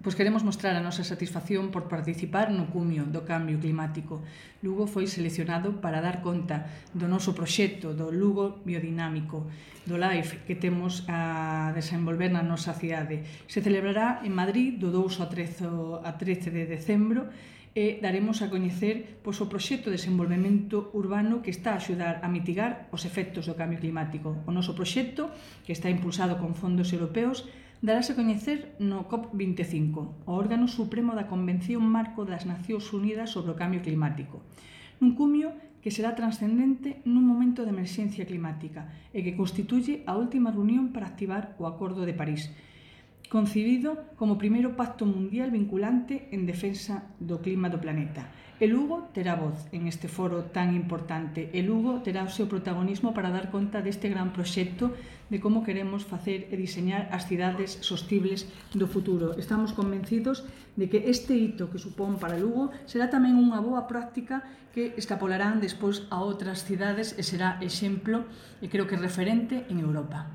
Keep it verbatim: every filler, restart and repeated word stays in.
Pois queremos mostrar a nosa satisfacción por participar no cumio do cambio climático. Lugo foi seleccionado para dar conta do noso proxecto do Lugo biodinámico, do LIFE que temos a desenvolver na nosa cidade. Se celebrará en Madrid do dous ao trece de decembro e daremos a coñecer pois, o proxecto de desenvolvemento urbano que está a axudar a mitigar os efectos do cambio climático. O noso proxecto, que está impulsado con fondos europeos, darase a coñecer no COP vinte e cinco, o órgano supremo da Convención Marco das Nacións Unidas sobre o Cambio Climático, nun cumio que será transcendente nun momento de emerxencia climática e que constituye a última reunión para activar o Acordo de París, concibido como o primeiro pacto mundial vinculante en defensa do clima do planeta. E Lugo terá voz en este foro tan importante. E Lugo terá o seu protagonismo para dar conta deste gran proxecto de como queremos facer e diseñar as cidades sostibles do futuro. Estamos convencidos de que este hito que supón para Lugo será tamén unha boa práctica que escapolarán despois a outras cidades e será exemplo e creo que referente en Europa.